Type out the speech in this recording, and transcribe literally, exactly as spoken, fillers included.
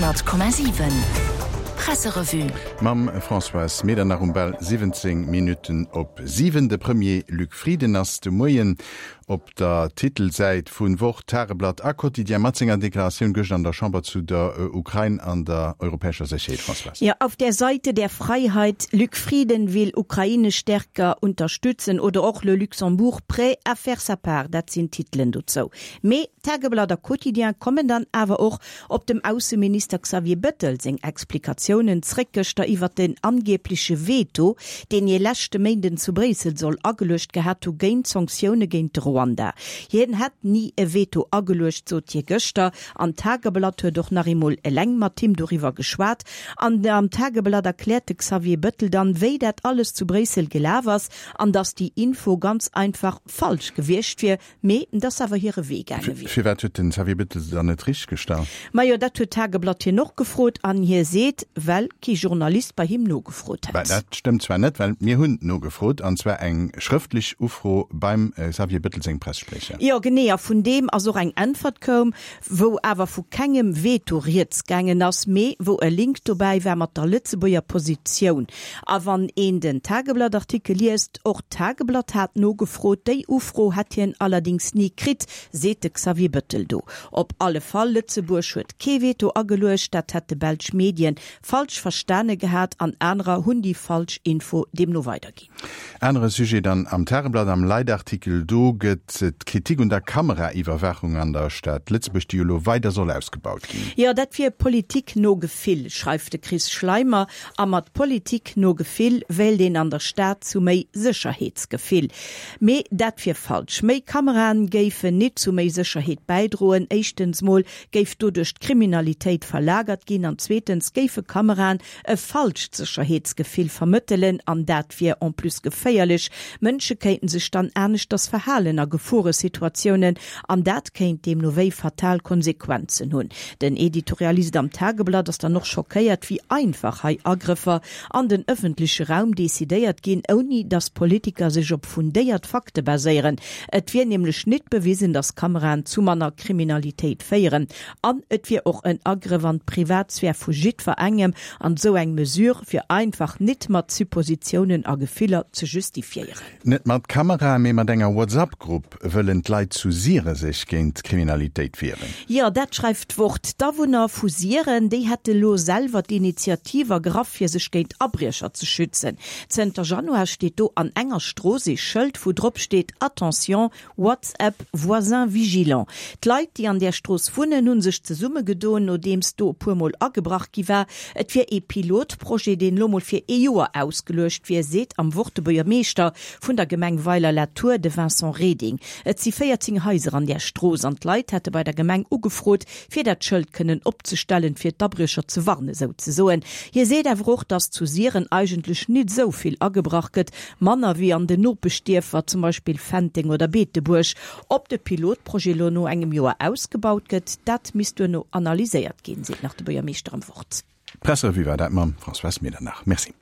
Honnert Komma siwen Presserevue. Mam Françoise Medernach um bal siwwenzéng Minutten op siwen. De Premier Luc Frieden ass de Moien op der Titelsäit vu Wort, Tageblatt a Quotidien mat senger Deklaratioun gëscht an der Chamber zu der Ukrain an der europäescher Sécherheet. Françoise. Ja, auf der Seite der Freiheit, Luc Frieden will Ukraine stärker unterstützen oder och Le Luxembourg prêt à faire sa part, dat sinn Titelen dozou. Mee Tageblatt a Quotidien kommen dann awer och op dem Ausseminister Xavier Bettel seng Explikatiounen zréck gëschter iwwert den angebleche Veto, deen hie leschte Méinden zu Bréissel soll ageluecht gehat hu géint d'Sanktioune géint de Ruanda. Hien hätt ni e Veto ageluecht, sot hie gëschter. An d'Tageblatt huet och nach eemol eleng mat him doriwwer geschwat. An am Tageblatt erkläert de Xavier Bettel dann, wéi dat alles zu Bréissel gelaf ass an dass déi Info ganz einfach falsch gewiescht wier, mee dass awer hire Wee gaange wier. Firwat huet den Xavier Bettel se dann net richteg gestallt? Majo, dat huet d'Tageblatt hien och gefrot an hie seet, well kee Journalist bei him nogefrot Well hätt. dat stëmmt zwar net, well mir hunn nogefrot, an zwar eng schrëftlech Ufro beim Xavier Bettel sengem Pressespriecher. Jo, genee, a vun deem ass och eng Äntwert koum, wou awer vu kengem Veto rieds gaangen ass, mee wou e Link dobäi war mat der Lëtzebuerger Positioun. A wann een den Tageblatt-Artikel liest, och d'Tageblatt hat nogefrot, déi Ufro hätt hien allerdéngs ni kritt, seet de Xavier Bettel do. Op alle Fall, Lëtzebuerg huet kee Veto ageluecht, dat hätte belsch Medien falsch verstane gehat an anerer hunn déi falsch Info deemno weiderginn. Anere Sujet dann am Tageblatt, am Leitartikel, do gëtt d'Kritik un der Kameraiwwerwaachung an der Stad Lëtzebuerg, déi jo elo weider soll ausgebaut ginn. Jo, dat wier Politik no Gefill, schreift de Chris Schleimer. A mat Politik no Gefill wéilt een an der Stad zu méi Sécherheetsgefill. Mee dat wier falsch. Méi Kameraen géifen nit zu méi Sécherheet bäidroen. Éischtens mol géif doduerch d'Kriminalitéit verlagert ginn an zweetens géife Kameraen e falscht Sécherheetsgefill vermëttelen an dat wier en plus geféierlech. Mënsche kéinten sech dann aneschters verhalen a Geforesituatiounen an dat kéint deemno wéi fatal Konsequenzen hunn. Den Editorialist am Tageblatt ass dann och schockéiert, wéi einfach hei Agrëffer an den ëffentleche Raum decidéiert ginn, ouni datt Politiker sech op fundéiert Fakte baséieren. Et wier nämlech nit bewisen, datt Kameraen zu manner Kriminalitéit féieren. An et wier och en Agrëff an d'Privatsphär vu jiddwerengem an esou eng Mesure wier einfach nit mat Suppositiounen a Gefiller ze justifiéieren. Net mat Kamerae, mee mat enger WhatsApp-Grupp wëllen d'Leit zu Siere sech géint d'Kriminalitéit wieren. Jo, dat schreift d'Wort. D'Awunner vu Siren, déi hätte lo selwer d'Initiativ ergraff, fir sech géint Abriecher ze schützen. Zënter Januar steet do an enger Strooss ee Schëld, wou drop steet, Attention, WhatsApp, voisin vigilant. D'Leit, déi an där Strooss wunnen, hu sech zesummegedoen, nodeems do e puer Mol agebrach gi war. Et wier ee Pilotprojet, deen elo mol fir ee Joer ausgeluecht wier, seet am Wort de Buergermeeschter vun der Gemeng Weiler-la-Tour, de Vincent Reding. Et si véierzéng Haiser an där Strooss an d'Leit hätte bei der Gemeng ugefrot, fir dat Schëld kënnen opzestellen, fir d'Abriecher ze warnen, souzesoen. Hie seet awer och, datt zu Siren eigentlech nit esou vill agebrach gëtt, manner wéi an den Nopeschdierfer, zum Beispill Fenteng oder Beetebuerg. Ob de Pilotprojet elo no engem Joer ausgebaut gëtt, dat misst duerno analyséiert ginn, seet nach de Buergermeeschter am Wort. D'Presserevue war dat mam Françoise Medernach. Merci.